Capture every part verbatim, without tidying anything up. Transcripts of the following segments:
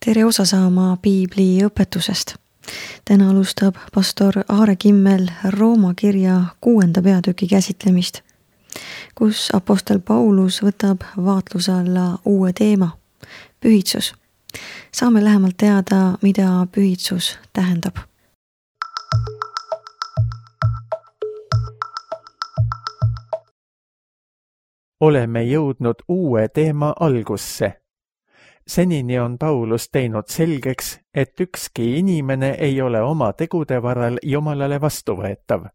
tere osa saama piibli õpetusest. Täna alustab pastor Aare Kimmel Rooma kirja kuuenda peatüki käsitlemist, kus apostel Paulus võtab vaatluse alla uue teema, pühitsus. Saame lähemalt teada, mida pühitsus tähendab. Oleme jõudnud uue teema algusse. Senini on Paulus teinud selgeks, et ükski inimene ei ole oma tegude varal Jumalale vastuvõetav.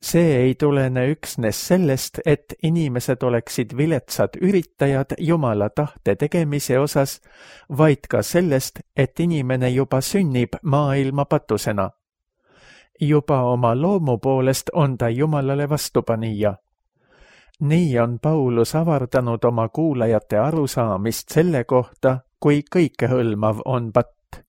See ei tulene üksnes sellest, et inimesed oleksid viletsad üritajad Jumala tahte tegemise osas, vaid ka sellest, et inimene juba sünnib maailma patusena. Juba oma loomu poolest on ta Jumalale vastupanija. Nii on Paulus avardanud oma kuulajate arusaamist selle kohta, kui kõikehõlmav on patt.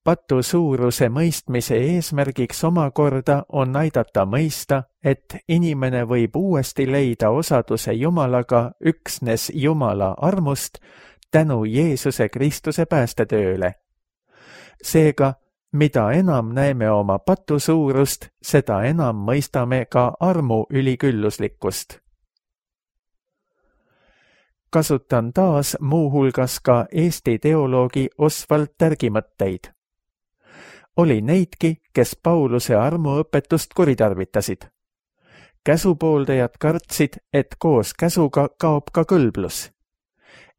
Patu suuruse mõistmise eesmärgiks omakorda on aidata mõista, et inimene võib uuesti leida osaduse Jumalaga üksnes Jumala armust tänu Jeesuse Kristuse päästetööle. Seega, mida enam näeme oma patu suurust, seda enam mõistame ka armu ülikülluslikkust. Kasutan taas muuhulgas ka Eesti teoloogi Oswald Tärgi mõtteid. Oli neidki, kes Pauluse armuõpetust kuritarvitasid. Käsupooldajad kartsid, et koos käsuga kaob ka kõlblus.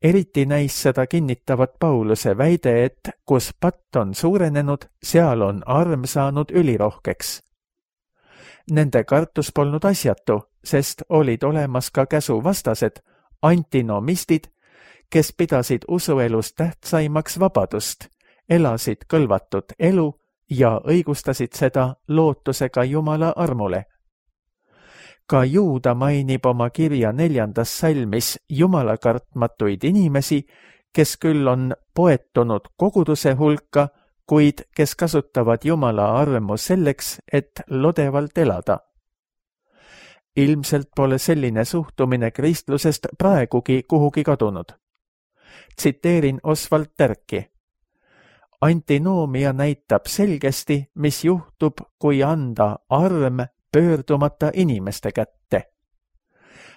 Eriti näis seda kinnitavat Pauluse väide, et kus patt on suurenenud, seal on arm saanud ülirohkeks. Nende kartus polnud asjatu, sest olid olemas ka käsu vastased, antinomistid, kes pidasid usuelus tähtsaimaks vabadust, elasid kõlvatut elu ja õigustasid seda lootusega Jumala armule. Ka Juuda mainib oma kirja neljandas salmis jumalakartmatuid inimesi, kes küll on poetunud koguduse hulka, kuid kes kasutavad Jumala armu selleks, et lodevalt elada. Ilmselt pole selline suhtumine kristlusest praegugi kuhugi kadunud. Tsiteerin Oswald Tärki. Antinoomia näitab selgesti, mis juhtub, kui anda arm pöördumata inimeste kätte.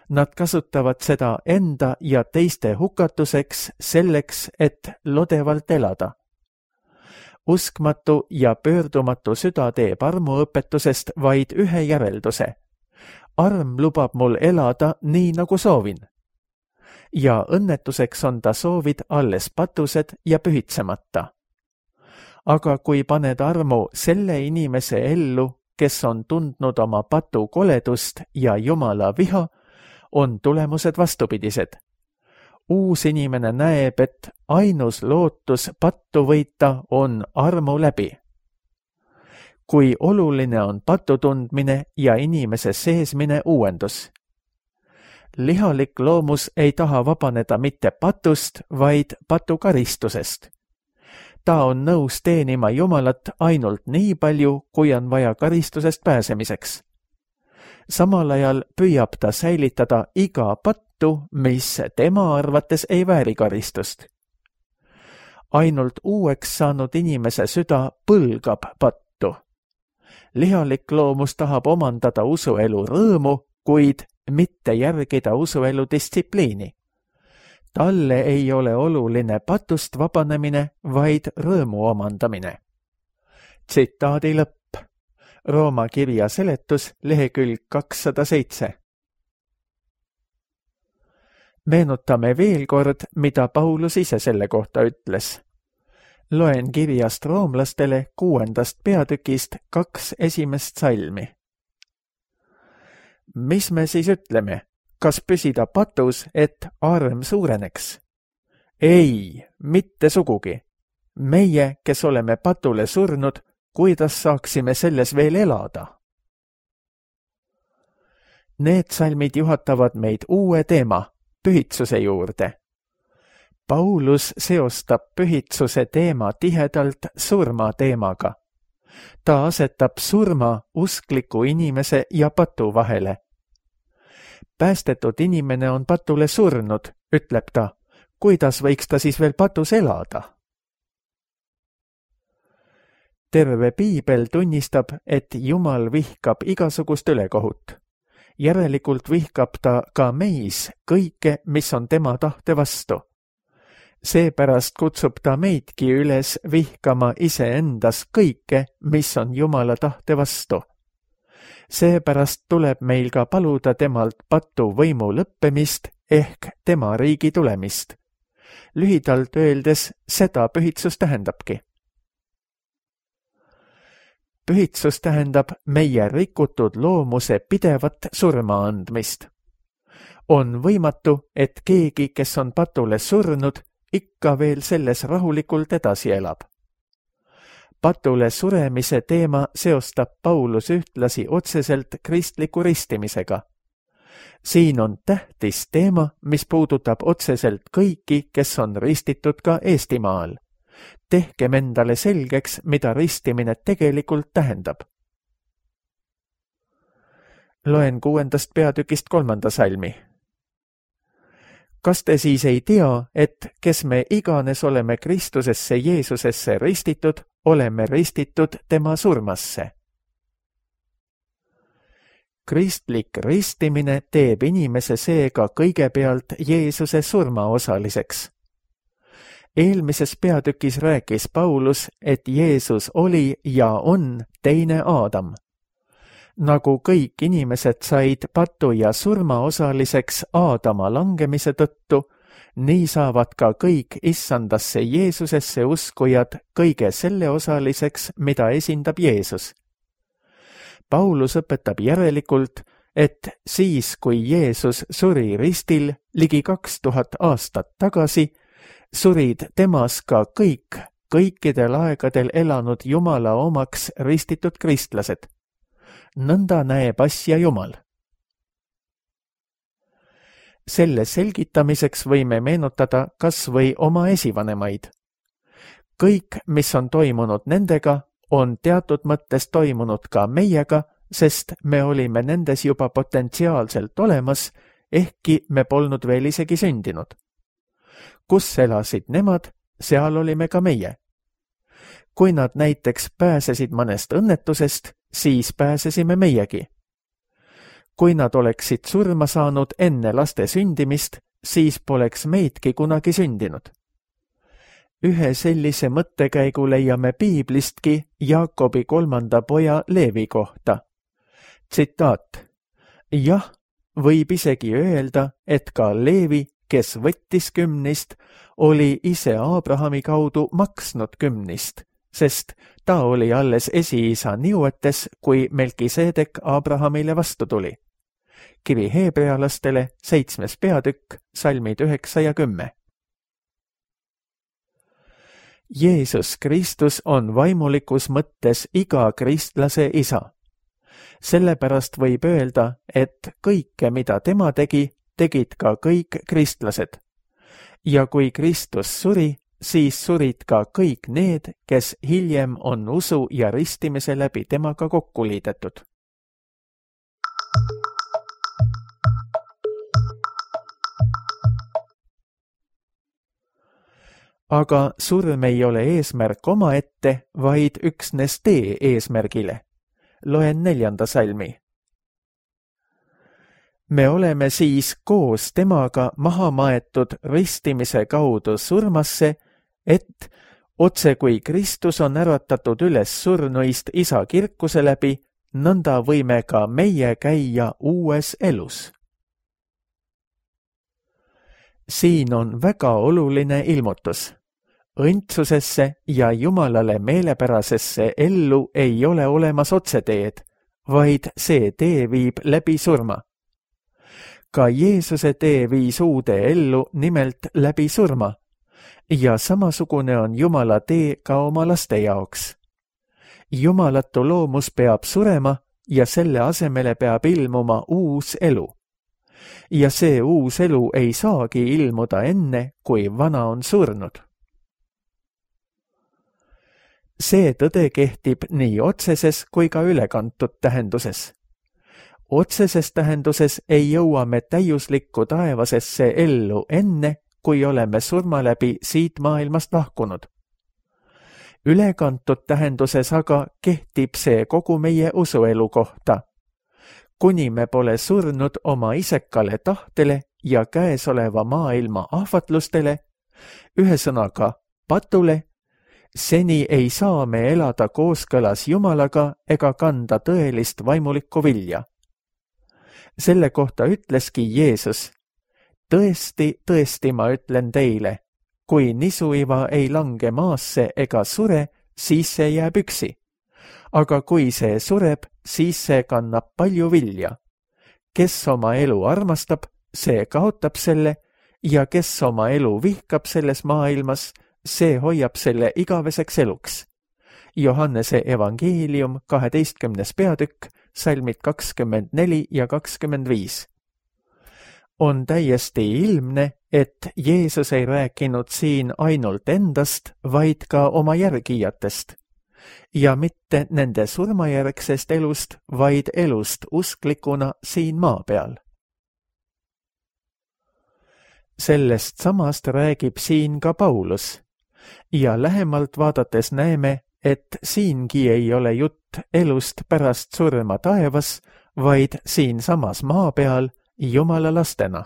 Nad kasutavad seda enda ja teiste hukatuseks selleks, et lodevalt elada. Uskmatu ja pöördumatu süda teeb armuõpetusest vaid ühe järelduse. Arm lubab mul elada nii, nagu soovin. Ja õnnetuseks on ta soovid alles patused ja pühitsemata. Aga kui paned armu selle inimese ellu, kes on tundnud oma patu koledust ja Jumala viha, on tulemused vastupidised. Uus inimene näeb, et ainus lootus pattu võita on armu läbi. Kui oluline on patu tundmine ja inimese seesmine uuendus. Lihalik loomus ei taha vabaneda mitte patust, vaid patu karistusest. Ta on nõus teenima Jumalat ainult nii palju, kui on vaja karistusest pääsemiseks. Samal ajal püüab ta säilitada iga pattu, mis tema arvates ei vääri karistust. Ainult uueks saanud inimese süda põlgab pattu. Lihalik loomus tahab omandada usuelu rõõmu, kuid mitte järgida usuelu distsipliini. Talle ei ole oluline patust vabanemine, vaid rõõmu omandamine. Tsitaadi lõpp. Rooma kirja seletus, lehekülg kakssada seitse. Meenutame veel kord, mida Paulus ise selle kohta ütles. Loen kirjast roomlastele kuuendast peatükist kaks esimest salmi. Mis me siis ütleme? Kas püsida patus, et arm suureneks? Ei, mitte sugugi. Meie, kes oleme patule surnud, kuidas saaksime selles veel elada? Need salmid juhatavad meid uue teema, pühitsuse juurde. Paulus seostab pühitsuse teema tihedalt surma teemaga. Ta asetab surma uskliku inimese ja patu vahele. Päästetud inimene on patule surnud, ütleb ta, kuidas võiks ta siis veel patus elada? Terve piibel tunnistab, et Jumal vihkab igasugust ülekohut. Järelikult vihkab ta ka meis kõike, mis on tema tahte vastu. Seepärast kutsub ta meidki üles vihkama iseendas kõike, mis on Jumala tahte vastu. Seepärast tuleb meil ka paluda temalt patu võimu lõppemist ehk tema riigi tulemist. Lühidalt öeldes seda pühitsus tähendabki. Pühitsus tähendab meie rikutud loomuse pidevat surma andmist. On võimatu, et keegi, kes on patule surnud, ikka veel selles rahulikult edasi elab. Patule suremise teema seostab Paulus ühtlasi otseselt kristliku ristimisega. Siin on tähtis teema, mis puudutab otseselt kõiki, kes on ristitud ka Eestimaal. Tehkem endale selgeks, mida ristimine tegelikult tähendab. Loen kuuendast peatükist kolmanda salmi. Kas te siis ei tea, et kes me iganes oleme Kristusesse Jeesusesse ristitud, oleme ristitud tema surmasse? Kristlik ristimine teeb inimese seega kõigepealt Jeesuse surmaosaliseks. Eelmises peatükis rääkis Paulus, et Jeesus oli ja on teine Aadam. Nagu kõik inimesed said patu ja surma osaliseks Aadama langemise tõttu, nii saavad ka kõik issandasse Jeesusesse uskujad kõige selle osaliseks, mida esindab Jeesus. Paulus õpetab järelikult, et siis, kui Jeesus suri ristil ligi kaks tuhat aastat tagasi, surid temas ka kõik, kõikidel aegadel elanud Jumala omaks ristitud kristlased. Nõnda näeb asja Jumal. Selle selgitamiseks võime meenutada kas või oma esivanemaid. Kõik, mis on toimunud nendega, on teatud mõttes toimunud ka meiega, sest me olime nendes juba potentsiaalselt olemas, ehkki me polnud veel isegi sündinud. Kus elasid nemad, seal olime ka meie. Kui nad näiteks pääsesid mõnest õnnetusest, siis pääsesime meiegi. Kui nad oleksid surma saanud enne laste sündimist, siis poleks meidki kunagi sündinud. Ühe sellise mõttekäigu leiame piiblistki Jaakobi kolmanda poja Leevi kohta. Tsitaat. Jah, võib isegi öelda, et ka Leevi, kes võttis kümnist, oli ise Abrahami kaudu maksnud kümnist, sest ta oli alles esiisa niuetes, kui Melkisedek Abrahamile vastu tuli. Kiri heebrealastele, seitsmes peatükk, salmid üheksa ja kümme. Jeesus Kristus on vaimulikus mõttes iga kristlase isa. Sellepärast võib öelda, et kõike, mida tema tegi, tegid ka kõik kristlased. Ja kui Kristus suri, siis surid ka kõik need, kes hiljem on usu ja ristimise läbi temaga kokku liidetud. Aga surm ei ole eesmärk omaette, vaid üksnes tee eesmärgile. Loen neljanda salmi. Me oleme siis koos temaga maha maetud ristimise kaudu surmasse, et otse kui Kristus on äratatud üles surnuist isa kirkuse läbi, nõnda võime ka meie käia uues elus. Siin on väga oluline ilmutus. Õndsusesse ja Jumalale meelepärasesse ellu ei ole olemas otseteed, vaid see tee viib läbi surma. Ka Jeesuse tee viis uude ellu nimelt läbi surma ja samasugune on Jumala tee ka oma laste jaoks. Jumalatu loomus peab surema ja selle asemele peab ilmuma uus elu. Ja see uus elu ei saagi ilmuda enne, kui vana on surnud. See tõde kehtib nii otseses kui ka ülekantud tähenduses. Otseses tähenduses ei jõua me täiuslikku taevasesse ellu enne, kui oleme surma läbi siit maailmast lahkunud. Ülekantud tähenduses aga kehtib see kogu meie usuelu kohta. Kuni me pole surnud oma isekale tahtele ja käesoleva maailma ahvatlustele, ühesõnaga patule, seni ei saa me elada kooskõlas Jumalaga ega kanda tõelist vaimulikku vilja. Selle kohta ütleski Jeesus, tõesti, tõesti ma ütlen teile, kui nisuiva ei lange maasse ega sure, siis see jääb üksi. Aga kui see sureb, siis see kannab palju vilja. Kes oma elu armastab, see kaotab selle, ja kes oma elu vihkab selles maailmas, see hoiab selle igaveseks eluks. Johannese evangeelium kaheteistkümnes peatükk, salmid kakskümmend neli ja kakskümmend viis. On täiesti ilmne, et Jeesus ei rääkinud siin ainult endast, vaid ka oma järgijatest. Ja mitte nende surmajärgsest elust, vaid elust usklikuna siin maa peal. Sellest samast räägib siin ka Paulus. Ja lähemalt vaadates näeme, et siingi ei ole jutt elust pärast surma taevas, vaid siin samas maa peal Jumala lastena.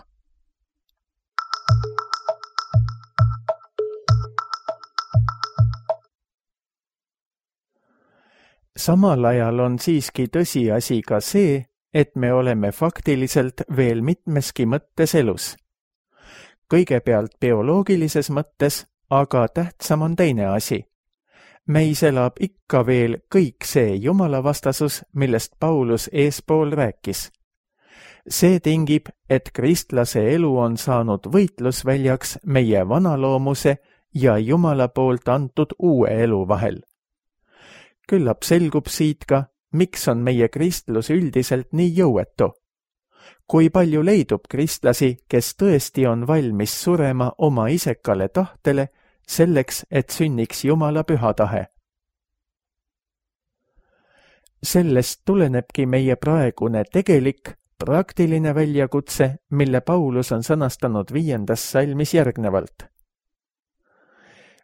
Samal ajal on siiski tõsiasi ka see, et me oleme faktiliselt veel mitmeski mõttes elus. Kõigepealt bioloogilises mõttes, aga tähtsam on teine asi. Meis elab ikka veel kõik see jumalavastasus, millest Paulus eespool rääkis. See tingib, et kristlase elu on saanud võitlusväljaks meie vanaloomuse ja Jumala poolt antud uue elu vahel. Küllap selgub siit ka, miks on meie kristlus üldiselt nii jõuetu. Kui palju leidub kristlasi, kes tõesti on valmis surema oma isekale tahtele, selleks, et sünniks Jumala püha tahe. Sellest tulenebki meie praegune tegelik, praktiline väljakutse, mille Paulus on sõnastanud viiendas salmis järgnevalt.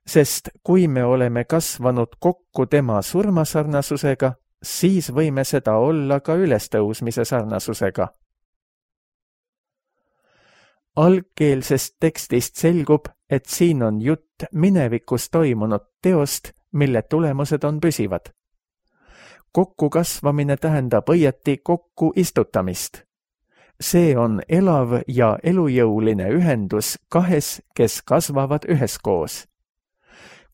Sest kui me oleme kasvanud kokku tema surmasarnasusega, siis võime seda olla ka ülestõusmise sarnasusega. Algkeelsest tekstist selgub, et siin on jutt minevikus toimunud teost, mille tulemused on püsivad. Kokku kasvamine tähendab õieti kokku istutamist. See on elav ja elujõuline ühendus kahes, kes kasvavad üheskoos.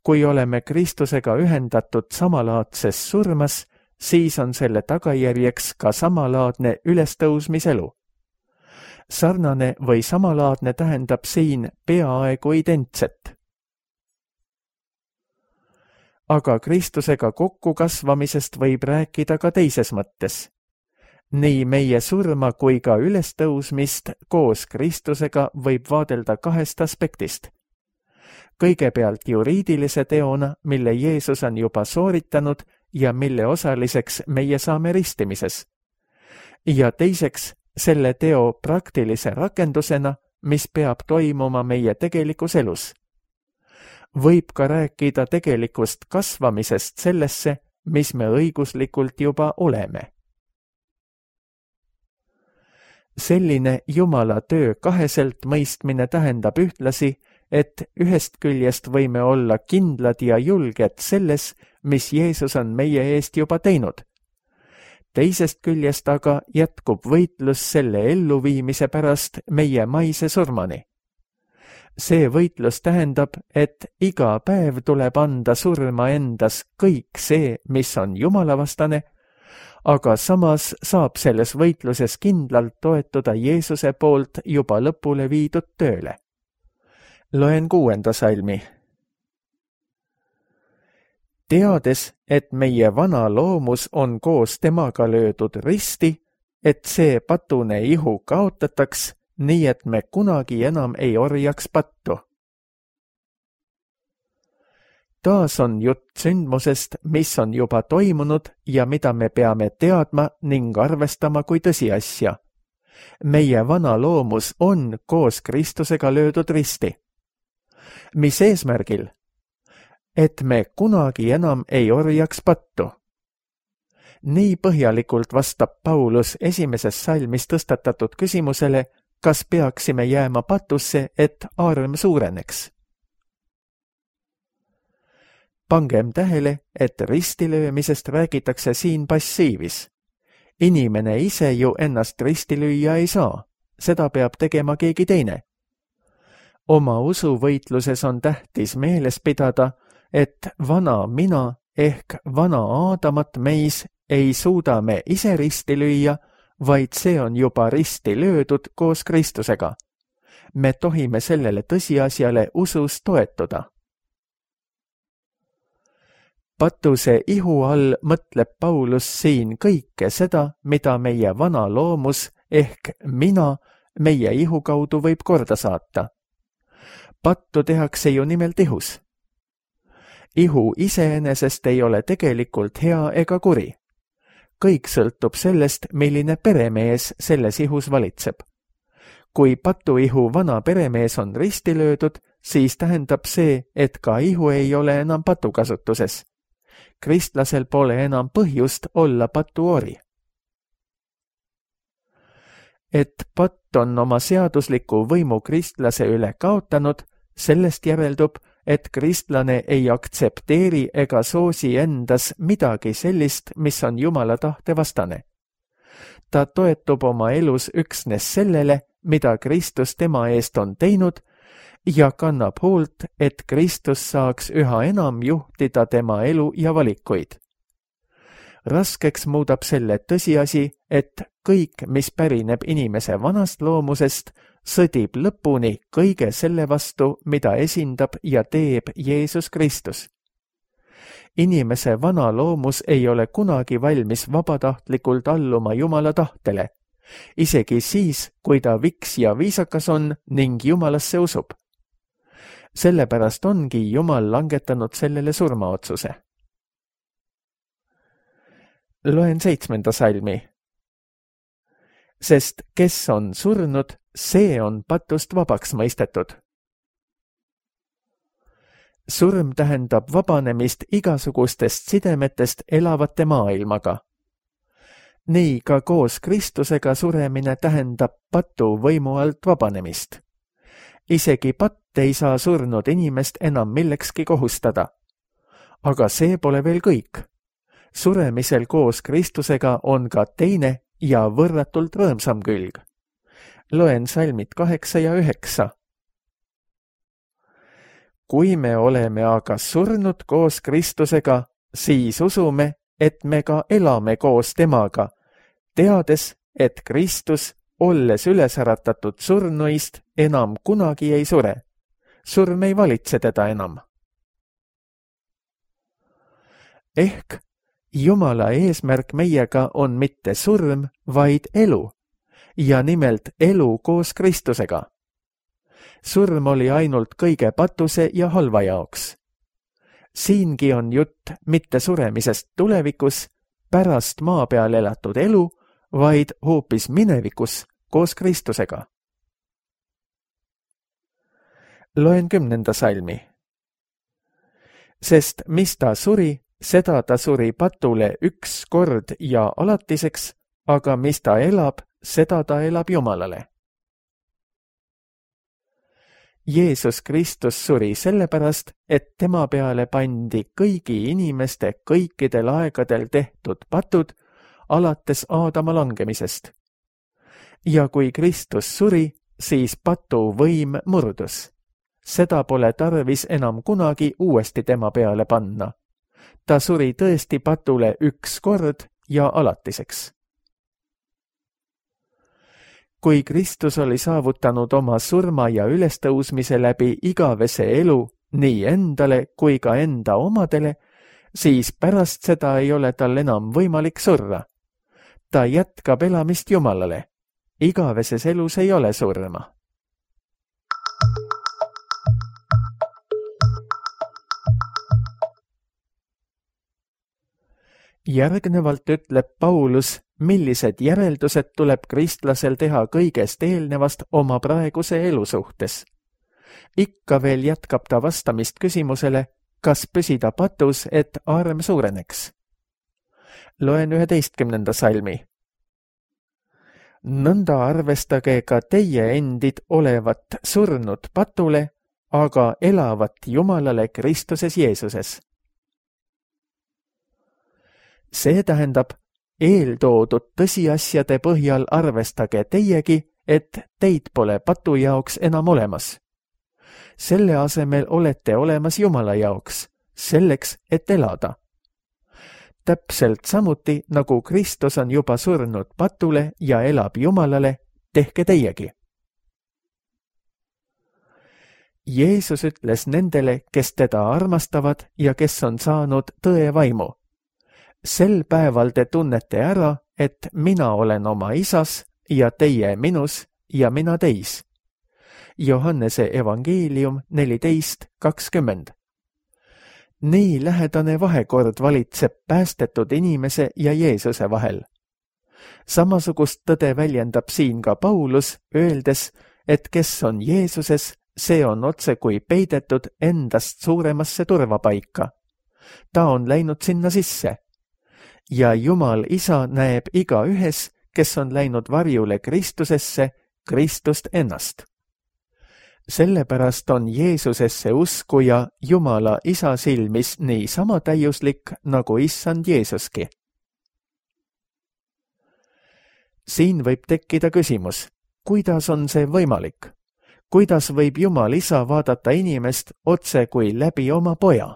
Kui oleme Kristusega ühendatud samalaadses surmas, siis on selle tagajärjeks ka samalaadne ülestõusmiselu. Sarnane või samalaadne tähendab siin peaaegu identset. Aga Kristusega kokku kasvamisest võib rääkida ka teises mõttes. Nii meie surma kui ka ülestõusmist koos Kristusega võib vaadelda kahest aspektist. Kõigepealt juriidilise teona, mille Jeesus on juba sooritanud ja mille osaliseks meie saame ristimises. Ja teiseks, selle teo praktilise rakendusena, mis peab toimuma meie tegelikus elus. Võib ka rääkida tegelikust kasvamisest sellesse, mis me õiguslikult juba oleme. Selline Jumala töö kaheselt mõistmine tähendab ühtlasi, et ühest küljest võime olla kindlad ja julged selles, mis Jeesus on meie eest juba teinud. Teisest küljest aga jätkub võitlus selle elluviimise pärast meie maise surmani. See võitlus tähendab, et iga päev tuleb anda surma endas kõik see, mis on jumalavastane, aga samas saab selles võitluses kindlalt toetuda Jeesuse poolt juba lõpule viidud tööle. Loen kuuenda salmi. Teades, et meie vana loomus on koos temaga löödud risti, et see patune ihu kaotataks, nii et me kunagi enam ei orjaks pattu. Taas on jutt sündmusest, mis on juba toimunud ja mida me peame teadma ning arvestama kui tõsiasja. Meie vana loomus on koos Kristusega löödud risti. mis eesmärgil? Et me kunagi enam ei orjaks pattu. Nii põhjalikult vastab Paulus esimeses salmis tõstatatud küsimusele, kas peaksime jääma patusse, et arm suureneks. Pangem tähele, et ristilöömisest räägitakse siin passiivis. Inimene ise ju ennast risti lüüa ei saa, seda peab tegema keegi teine. Oma usuvõitluses on tähtis meeles pidada, et vana mina ehk vana Aadamat meis ei suuda me ise risti lüüa, vaid see on juba risti löödud koos Kristusega. Me tohime sellele tõsiasjale usus toetuda. Patuse ihu all mõtleb Paulus siin kõike seda, mida meie vana loomus ehk mina meie ihu kaudu võib korda saata. Pattu tehakse ju nimelt ihus. Ihu iseenesest ei ole tegelikult hea ega kuri. Kõik sõltub sellest, milline peremees selles ihus valitseb. Kui patuihu vana peremees on risti löödud, siis tähendab see, et ka ihu ei ole enam patukasutuses. Kristlasel pole enam põhjust olla patuori. Et patt on oma seadusliku võimu kristlase üle kaotanud, sellest järeldub, et kristlane ei aktsepteeri ega soosi endas midagi sellist, mis on Jumala tahte vastane. Ta toetub oma elus üksnes sellele, mida Kristus tema eest on teinud, ja kannab hoolt, et Kristus saaks üha enam juhtida tema elu ja valikuid. Raskeks muudab selle tõsiasi, et kõik, mis pärineb inimese vanast loomusest, sõdib lõpuni kõige selle vastu, mida esindab ja teeb Jeesus Kristus. Inimese vana loomus ei ole kunagi valmis vabatahtlikult alluma Jumala tahtele, isegi siis, kui ta viks ja viisakas on ning Jumalasse usub. Sellepärast ongi Jumal langetanud sellele surmaotsuse. Loen seitsmenda salmi. Sest kes on surnud, see on patust vabaks mõistetud. Surm tähendab vabanemist igasugustest sidemetest elavate maailmaga. Nii ka koos Kristusega suremine tähendab patu võimu alt vabanemist. Isegi patt ei saa surnud inimest enam millekski kohustada. Aga see pole veel kõik. Suremisel koos Kristusega on ka teine ja võrratult rõõmsam külg. Loen salmid kaheksa ja üheksa. Kui me oleme aga surnud koos Kristusega, siis usume, et me ka elame koos temaga, teades, et Kristus, olles üles äratatud surnuist, enam kunagi ei sure. Surm ei valitse teda enam. Ehk Jumala eesmärk meiega on mitte surm, vaid elu, ja nimelt elu koos Kristusega. Surm oli ainult kõige patuse ja halva jaoks. Siingi on jutt mitte suremisest tulevikus, pärast maa peal elatud elu, vaid hoopis minevikus koos Kristusega. Loen kümnenda salmi. Sest mis ta suri, seda ta suri patule üks kord ja alatiseks, aga mis ta elab, seda ta elab Jumalale. Jeesus Kristus suri sellepärast, et tema peale pandi kõigi inimeste kõikidel aegadel tehtud patud, alates Aadama langemisest. Ja kui Kristus suri, siis patu võim murdus. Seda pole tarvis enam kunagi uuesti tema peale panna. Ta suri tõesti patule üks kord ja alatiseks. Kui Kristus oli saavutanud oma surma ja ülestõusmise läbi igavese elu nii endale kui ka enda omadele, siis pärast seda ei ole tal enam võimalik surra. Ta jätkab elamist Jumalale. Igaveses elus ei ole surma. Järgnevalt ütleb Paulus, millised järeldused tuleb kristlasel teha kõigest eelnevast oma praeguse elu suhtes. ikka veel jätkab ta vastamist küsimusele, kas püsida patus, et arm suureneks. Loen üheteistkümnenda salmi. Nõnda arvestage ka teie endid olevat surnud patule, aga elavat Jumalale Kristuses Jeesuses. See tähendab, eeltoodud tõsiasjade põhjal arvestage teiegi, et teid pole patu jaoks enam olemas. Selle asemel olete olemas Jumala jaoks, selleks, et elada. Täpselt samuti, nagu Kristus on juba surnud patule ja elab Jumalale, tehke teiegi. Jeesus ütles nendele, kes teda armastavad ja kes on saanud tõe vaimu. Sel päeval te tunnete ära, et mina olen oma isas ja teie minus ja mina teis. Johannese evangeelium neliteist kakskümmend. Nii lähedane vahekord valitseb päästetud inimese ja Jeesuse vahel. Samasugust tõde väljendab siin ka Paulus, öeldes, et kes on Jeesuses, see on otse kui peidetud endast suuremasse turvapaika. Ta on läinud sinna sisse. Ja Jumal Isa näeb iga ühes, kes on läinud varjule Kristusesse, Kristust ennast. Sellepärast on Jeesusesse uskuja Jumala Isa silmis nii sama täiuslik nagu issand Jeesuski. Siin võib tekkida küsimus, kuidas on see võimalik? Kuidas võib Jumal Isa vaadata inimest otse kui läbi oma poja?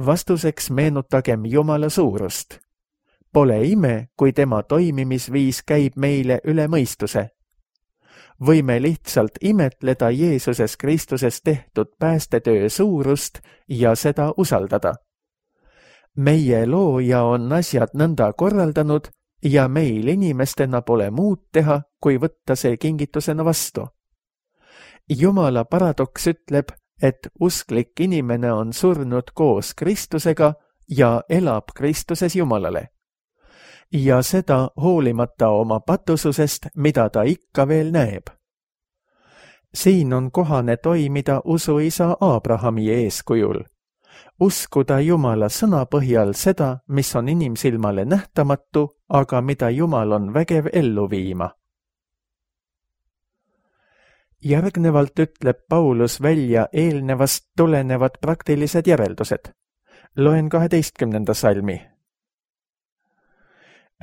Vastuseks meenutagem Jumala suurust. Pole ime, kui tema toimimisviis käib meile üle mõistuse. Võime lihtsalt imetleda Jeesuses Kristuses tehtud päästetöö suurust ja seda usaldada. Meie looja on asjad nõnda korraldanud ja meil inimestena pole muud teha, kui võtta see kingitusena vastu. Jumala paradoks ütleb, et usklik inimene on surnud koos Kristusega ja elab Kristuses Jumalale. Ja seda hoolimata oma patususest, mida ta ikka veel näeb. Siin on kohane toimida usuisa Abrahami eeskujul. Uskuda Jumala sõna põhjal seda, mis on inimsilmale nähtamatu, aga mida Jumal on vägev ellu viima. Järgnevalt ütleb Paulus välja eelnevast tulenevad praktilised järeldused. Loen kaheteistkümnenda salmi.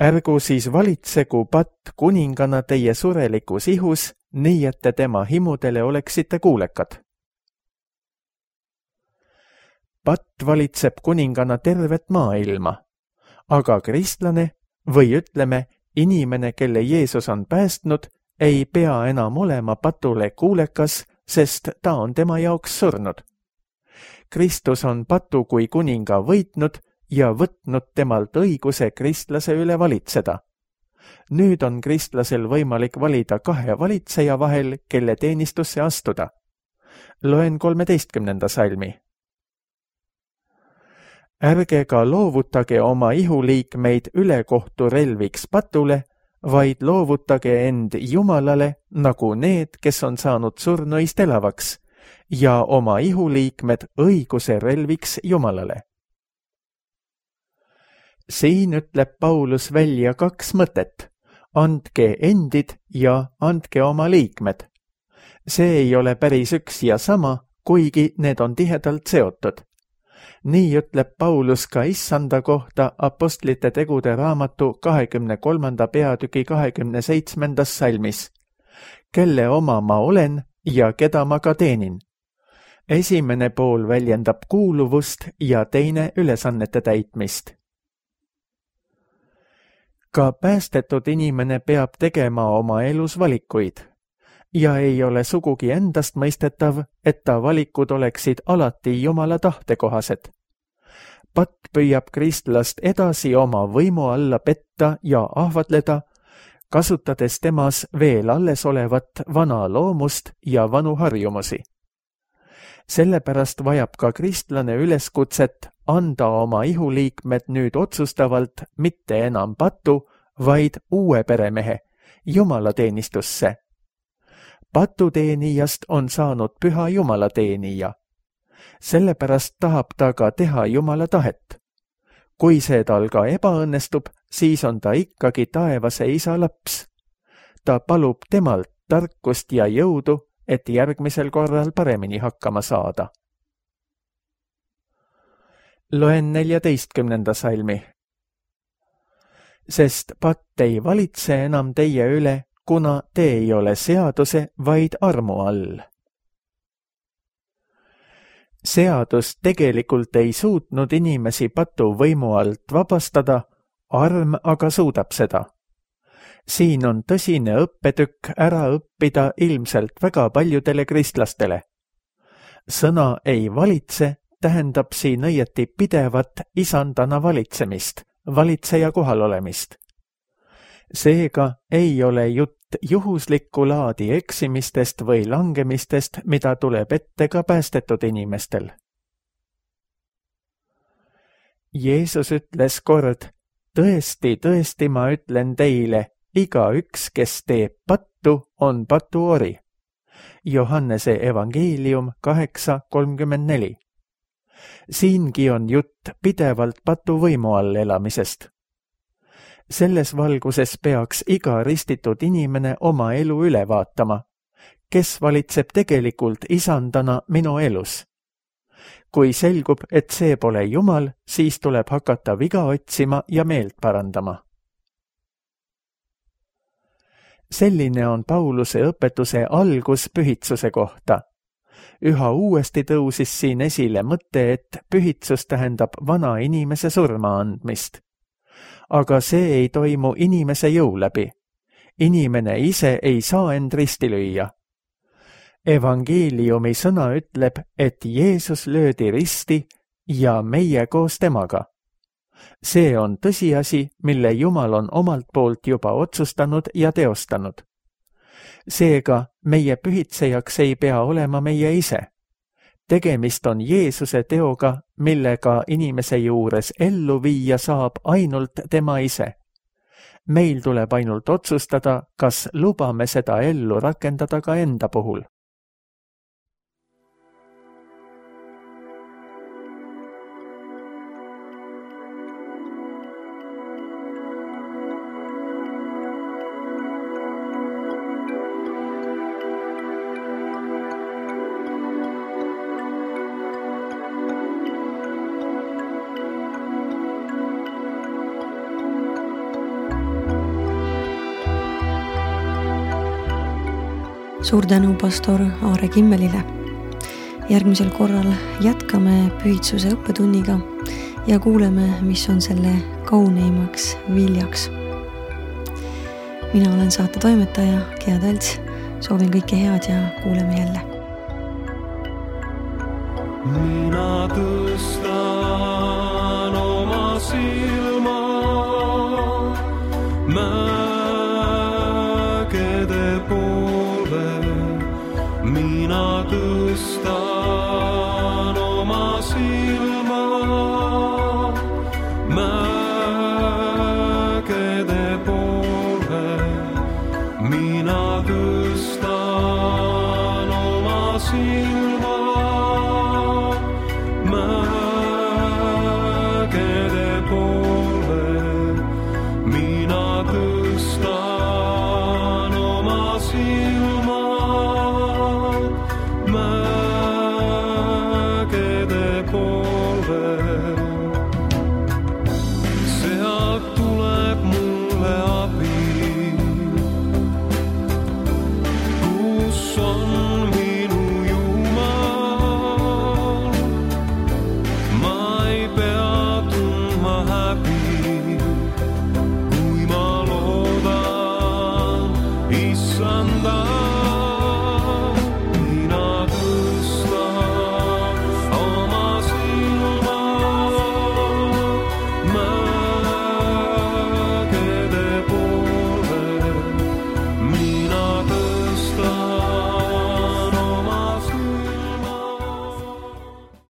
Ärgu siis valitsegu patt kuningana teie surelikus ihus, nii et te tema himudele oleksite kuulekad. Patt valitseb kuningana tervet maailma, aga kristlane või ütleme, inimene, kelle Jeesus on päästnud, ei pea enam olema patule kuulekas, sest ta on tema jaoks surnud. Kristus on patu kui kuninga võitnud ja võtnud temalt õiguse kristlase üle valitseda. Nüüd on kristlasel võimalik valida kahe valitseja vahel, kelle teenistusse astuda. Loen kolmeteistkümnenda salmi. Ärge ka loovutage oma ihuliikmeid ülekohtu relviks patule, vaid loovutage end Jumalale nagu need, kes on saanud surnuist elavaks, ja oma ihuliikmed õiguse relviks Jumalale. Siin ütleb Paulus välja kaks mõtet. Andke endid ja andke oma liikmed. See ei ole päris üks ja sama, kuigi need on tihedalt seotud. Nii ütleb Paulus ka issanda kohta apostlite tegude raamatu kahekümne kolmanda peatüki kahekümne seitsmendas salmis. Kelle oma ma olen ja keda ma ka teenin. Esimene pool väljendab kuuluvust ja teine ülesannete täitmist. Ka päästetud inimene peab tegema oma elus valikuid ja ei ole sugugi endast mõistetav, et ta valikud oleksid alati Jumala tahtekohased. Patt püüab kristlast edasi oma võimu alla petta ja ahvatleda, kasutades temas veel alles olevat vana loomust ja vanu harjumusi. Sellepärast vajab ka kristlane üleskutset anda oma ihuliikmed nüüd otsustavalt mitte enam patu, vaid uue peremehe, Jumala teenistusse. patuteenijast on saanud püha Jumala teenija. Sellepärast tahab ta ka teha Jumala tahet. Kui see tal ka ebaõnnestub, siis on ta ikkagi taevase isa laps. Ta palub temalt tarkust ja jõudu, et järgmisel korral paremini hakkama saada. Loen neljateistkümnenda salmi. Sest patt ei valitse enam teie üle, kuna te ei ole seaduse, vaid armu all. Seadus tegelikult ei suutnud inimesi patu võimu alt vabastada, arm aga suudab seda. Siin on tõsine õppetükk ära õppida ilmselt väga paljudele kristlastele. Sõna ei valitse tähendab siin õieti pidevat isandana valitsemist, valitseja kohalolemist. Seega ei ole jutt juhuslikku laadi eksimistest või langemistest, mida tuleb ette ka päästetud inimestel. Jeesus ütles kord, tõesti, tõesti ma ütlen teile, iga üks, kes teeb pattu, on patuori. Johannese evangeelium kaheksa kolmkümmend neli. Siingi on jutt pidevalt patu võimu all elamisest. Selles valguses peaks iga ristitud inimene oma elu üle vaatama, kes valitseb tegelikult isandana minu elus. Kui selgub, et see pole Jumal, siis tuleb hakata viga otsima ja meelt parandama. Selline on Pauluse õpetuse algus pühitsuse kohta. Üha uuesti tõusis siin esile mõte, et pühitsus tähendab vana inimese surma andmist. Aga see ei toimu inimese jõu läbi. Inimene ise ei saa end risti lüüa. Evangeeliumi sõna ütleb, et Jeesus löödi risti ja meie koos temaga. See on tõsiasi, mille Jumal on omalt poolt juba otsustanud ja teostanud. Seega meie pühitsejaks ei pea olema meie ise. Tegemist on Jeesuse teoga, millega inimese juures ellu viia saab ainult tema ise. Meil tuleb ainult otsustada, kas lubame seda ellu rakendada ka enda puhul. Suur tänu pastor Aare Kimmelile. Järgmisel korral jätkame pühitsuse õppetunniga ja kuuleme, mis on selle kauneimaks viljaks. Mina olen saate toimetaja Gea Tälts. Soovin kõike head ja kuuleme jälle. Mina tõstan oma silma mägede poole. Mina tõstan oma silma